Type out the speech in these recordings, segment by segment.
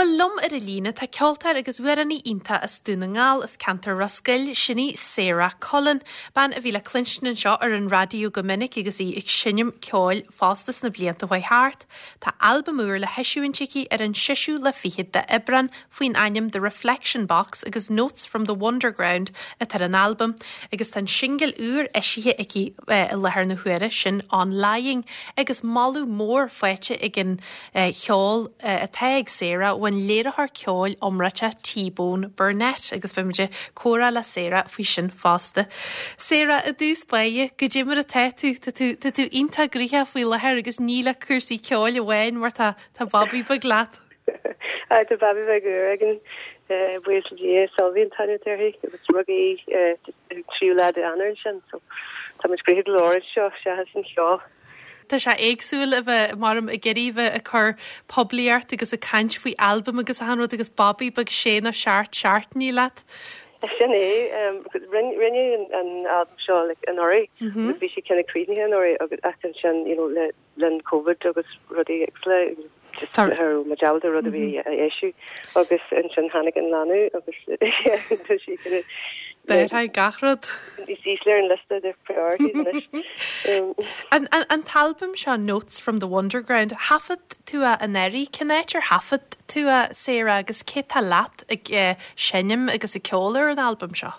Bhuel, liom ar an líne tá ceoltóir agus amhránaí iontach as Dún na nGall, as ceantar Ros Goill, sin í Sarah Cullen, bean a bhí le cluinstin anseo ar an raidió go minic agus í ag seinm ceoil fosta sna blianta a chuaigh thart. Tá albam úr le heisiúint aici ar an seisiú lá fichead d'Aibreán faoin ainm The Reflection Box agus Notes from the Wonderground atá ar an albam agus tá an singil úr eisithe aici i láthair na huaire, sin On Lying, agus moladh mór faighte ag an cheol atá ag Sarah ón léiritheoir ceoil iomráiteach T-Bone Burnett agus beidh muid ag comhrá le Sarah faoi sin fosta. Sarah, i dtús báire, goidé mar atá tú? Tá tú tá tú iontach gnoitheach faoi láthair agus ní le cúrsaí ceoil amháin mar tá tá babaí beag leat. Tá babaí beag úr againn, buíochas le Dia, Sylvie an t-ainm atá uirthi agus rugadh í an tríú lá d'Eanáir ansin so tá muid gnoitheach go leor anseo seachas an cheol. Tá sé éagsúil a bheith, maram, ag iarraidh a bheith ag cur poiblíocht agus ag caint faoi albam agus achan rud agus babaí beag sé nó seacht seachtainí leat. Sin é. Rinneadh an albam seo like anuraidh agus bhí sé kind of críochnaithe anuraidh agus ach ansin you know le linn Covid agus rudaí éagsúla just cha raibh muid ábalta rud ar bith a eisiú agus ansin tháinig an leanbh agus tá sí kind of D'athraigh gach rud. Níos ísle ar an liosta de priorities anois. An t-albam seo Notes from the Wonderground, thaifead tú é anuraidh, cén áit ar thaifead tú é, Sarah, agus cé tá leat ag seinm agus ag ceol ar an albam seo?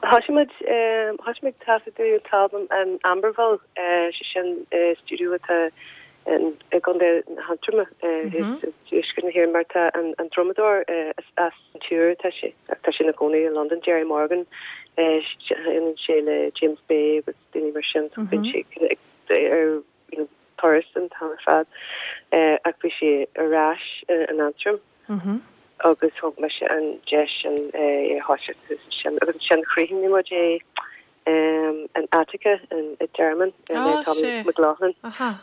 Thosaigh muid, thosaigh muid ag taifeadadh an t-albam in Amberville, sé sin stiúideo atá i gContae na hAntroma, i dtuaisceart na hÉireann, mar tá an drumadóir as an Iúr atá sé, ach tá sé ina chónaí i Londain, Gerry Morgan, seinneann sé le James Bay agus daoine mar sin, so bíonn sé ar you know turas an t-am ar fad. Ach bhí sé ar ais in Antraim agus thug mise an deis sin é a thoiseacht thuas ansin agus ansin chríochnaigh muid é in Attica i dTearmann le Tommy McLaughlin.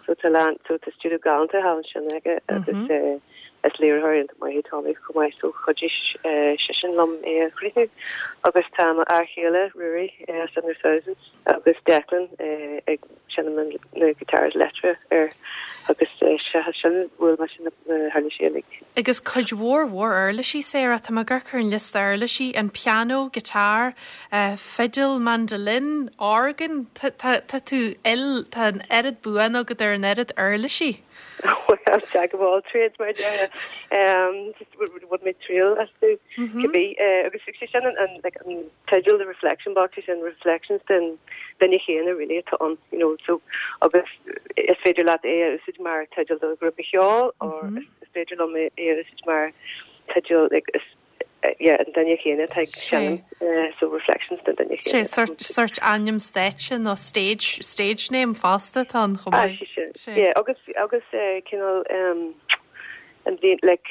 So tá lán so tá stiúideo galánta thall ansin aige agus is léiritheoir iontach maith é Tommy chomh maith so chuidigh seisean liom é a chríochnú. Agus tá mo fhear chéile Ruairí as Under Thousands agus Declan ag seinm na guitars leictreach air agus seachas sin bhuail mise na huirlisí uilig. Agus cuid mhór mhór uirlisí, Sarah, tá mé ag amharc ar an liosta uirlisí, an pianó, guitar, fidil, mandolin, organ, tá tá tú il, tá an oiread buanna agat ar an oiread uirlisí. Well, jack of all trades mar a déarfá. Just bhain mé triail astu cibé. Agus sé sin an like an teideal The Reflection Box, sé sin reflections den duine chéanna really atá ann, you know, so agus is féidir leat é a úsáid mar teideal do ghrúpa cheoil or is féidir liom é a úsáid mar teideal like is yeah, an duine chéanna atá ag seinm, so reflections den duine chéanna. Sé sort, sort ainm stáitse nó stage, stage name fosta atá ann chomh maith. Ah, sé sin. Sé. Yeah, agus, agus cineál um, an bhí, like,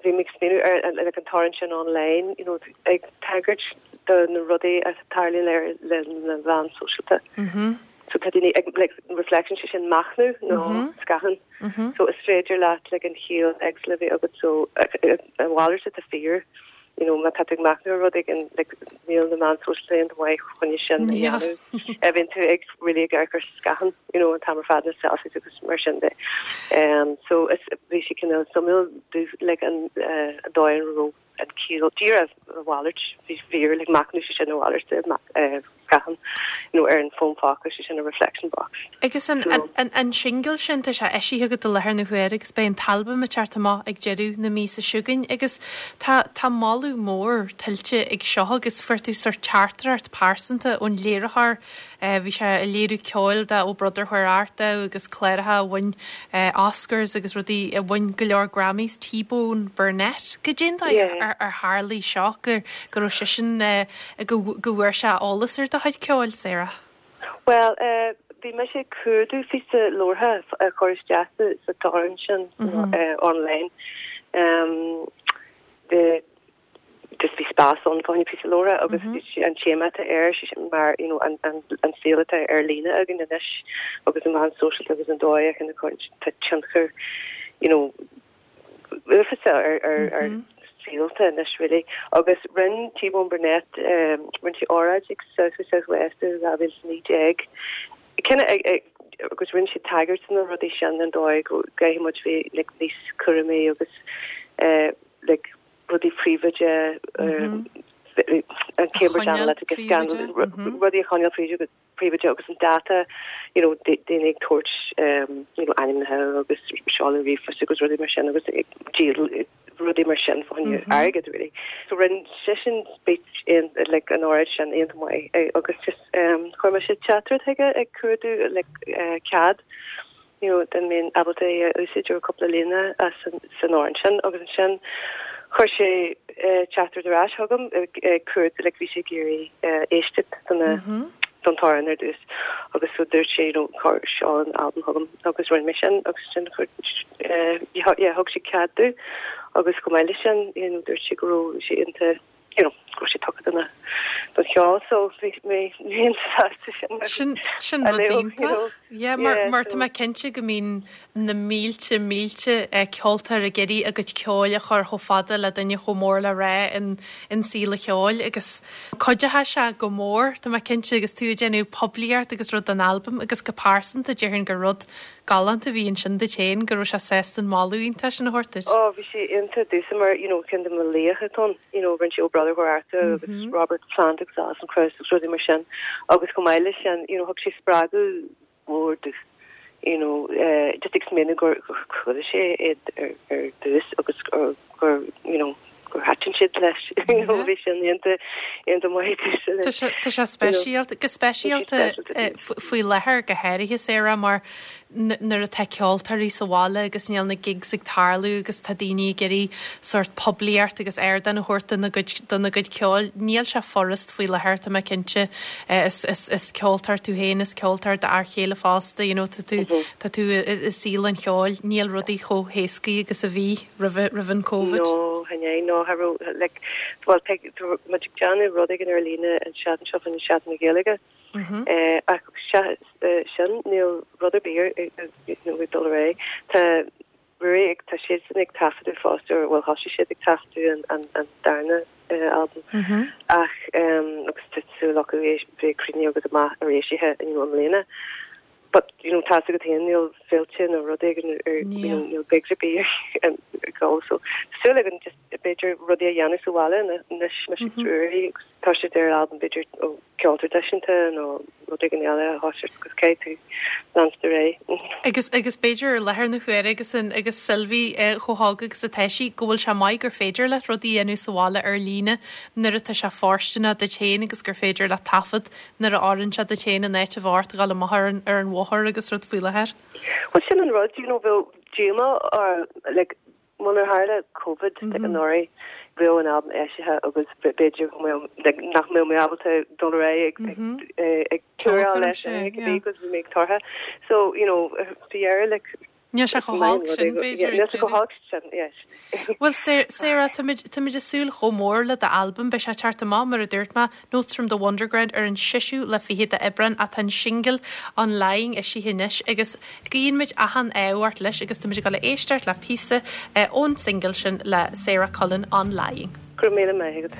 bhí mé ag smaoineamh ar an, like, an t-amhrán sin online, you know, ag tagairt do na rudaí a tarlaíonn ar le na meáin sóisialta. Mm-hmm. So tá daoine ag, like, reflection sé sin machnamh nó mm-hmm. scáthán. Mm-hmm. So is féidir leat like an chiall éagsúil a bheith agat so a mhalairt atá fíor you know má tá tú ag machnamh ar rud éigin like níl na meáin sóisialta iontach maith chun sin a dhéanamh. A bhíonn tú ag really ag amharc ar scáthán you know an t-am ar fad na selfies agus mar sin de. Um, so is bhí sé cineál suimiúil like an uh, an dóigh a raibh an ciall díreach a mhalairt bhí fíor like machnamh sé sin a mhalairt de uh, scáthán nó ar an bhfón phóca sé sin a reflection box. Agus an, an, an, an singil sin, tá sé eisithe agat i láthair na huaire agus beidh an t-albam ag teacht amach ag deireadh na míosa seo chugainn agus tá, tá moladh mór tuillte ag seo agus fuair tú sórt teachtaireacht pearsanta ón léiritheoir Bhí sé ag léiriú ceoil do Oh Brother Where Art Thou agus cláracha a bhain Oscars agus rudaí a bhain go leor Grammys, T-Bone Burnett. Goidé an dóigh ar tharlaigh seo go go raibh seisean go go bhfuair sé eolas ar do chuid ceoil, Sarah? Bhuel, bhí mise ag cuardú phíosa labhartha a chur isteach sa t-amhrán sin online. Just bhí spás ann fá choinne píosa labhartha agus an téama atá air, sé sin mar you know an an an saol atá ar líne againn anois agus na meáin sóisialta agus an dóigh a chun tá tionchar you know uafásach ar ar ar saolta anois really. Agus rinne T-Bone Burnett um rinne sé óráid ag South by Southwest i 2019 Kind of ag agus rinne sé tagairt do na rudaí sin an dóigh go gcaithfidh muid bheith like níos cúramaí agus. Like rudaí príobháideacha, an Cambridge Analytica scandal, rudaí a choinneáil príobháideach agus an data, you know, daoine ag tabhairt you know ainmneacha agus seoladh ríomhphoist agus rudaí mar sin agus ag díol rudaí mar sin fá choinne airgead really. So rinne seisean speech in like an óráid sin iontach maith agus just chuir mise teachtaireacht chuige ag cuardú like cead you know, dá mbeinn ábalta é a úsáid ar cúpla líne as san amhrán sin agus ansin chuir sé teachtaireacht ar ais chugam ag cuardú like bhí sé ag iarraidh éisteacht do na don t-amhrán ar dtús agus so dúirt sé you know cuir seol an albam chugam agus rinne mé sin agus sin chuir yeah thug sé cead domh agus chomh maith leis sin you know dúirt sé go raibh sé iontach you know, go raibh sé tugtha do na, don cheol so bhí mé an-sásta sin. Sin, sin rud iontach. Yeah, mar, mar tá mé cinnte go mbíonn na mílte, mílte ceoltóir ag iarraidh a gcuid ceoil a chur chomh fada le duine chomh mór le rá in, in saol an cheoil agus cuideoidh sé go mór, tá mé cinnte, agus tú ag déanamh poiblíocht agus rud don albam agus go pearsanta déarfainn gur rud galánta a bhí ansin duit féin go raibh sé sásta an moladh iontach sin a thabhairt duit. Oh bhí sé iontach domhsa mar you know ceann de mo laochra atá ann you know rinne sé Oh Brother Where Art Thou agus Robert Plant agus Alison Krauss agus rudaí mar sin agus chomh maith leis sin you know thug sé spreagadh mór domh you know eh just ag smaoineamh gur gur chuala sé iad ar ar dtús agus gur gur you know gur thaitin siad leis you know bhí sin iontach iontach maith domhsa Tá sé tá sé speisialta go speisialta faoi láthair go háirithe Sarah mar nuair atá ceoltóirí sa bhaile agus níl na gigs ag tarlú agus tá daoine ag iarraidh sórt poiblíocht agus ardán a thabhairt dona gcuid dona gcuid ceoil níl sé furast faoi láthair tá mé cinnte is is is ceoltóir tú féin is ceoltóir d'fhear chéile fosta you know tá tú tá tú i saol an cheoil níl rudaí chomh héascaí agus a bhí. roimhe, roimh an Covid? No, chan ea, no, cha raibh, like, bhuel, tá muid ag déanamh rud éigin ar líne an tseachtain seo faoin Seachtain na Gaeilge. Ach sin, níl rud ar bith ar, you know, ag dul ar aghaidh. Tá Ruairí ag, tá siadsan ag taifeadadh fosta, or bhuel, thosaigh siad ag taifeadadh an, an, an darna albam. Ach, agus tá súil acu é bheith críochnaithe agus amach arís, you know, i mbliana. But, you know, tá's agat féin, níl féilte nó rud éigin ar, you know, níl gigs ar bith ag dul, so tá súil againn just b'fhéidir rudaí a dhéanamh sa bhaile anois, mise agus Ruairí agus toiseacht ar albam b'fhéidir ó ceol traidisiúnta nó rud éigin eile a thoiseacht agus caithfidh tú leanstan ar aghaidh. Agus, agus b'fhéidir ar láthair na huaire agus an, agus Sylvie chomh hóg agus atá sí, go bhfuil sé maith gur féidir leat rudaí a dhéanamh sa bhaile ar líne nuair atá sé fóirsteanach duit féin agus gur féidir leat taifead nuair a oireann sé duit féin in áit a bheith ort a ghabháil amach ar an ar an bhóthar agus rud faoi láthair. Bhuel sin an rud, you know, bheadh díomá orm, like, munar tharla Covid like anuraidh, bheadh an albam eisithe agus b'fhéidir go mbeadh, like, nach mbeadh mé ábalta dul ar aghaidh ag ag ag tuaráil leis because bhí mé ag tortha. So, you know, faoi dheireadh, like, Níl sé chomh holc sin, b'fhéidir. Níl sé chomh holc sin, yes. Bhuel, Sarah, táimid ag súil chomh mór le d'albam. Beidh sé ag teacht amach, mar a dúirt mé, Notes from the Wonderground ar an seisiú lá fichead d'Aibreán ach tá an singil On Lying eisithe anois agus guíonn muid achan ádh ort leis agus táimid ag dul a éisteacht le píosa ón singil sin le Sarah Cullen, On Lying. Go raibh míle maith agat.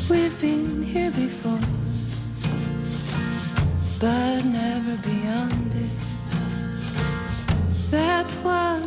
We've been here before But never beyond.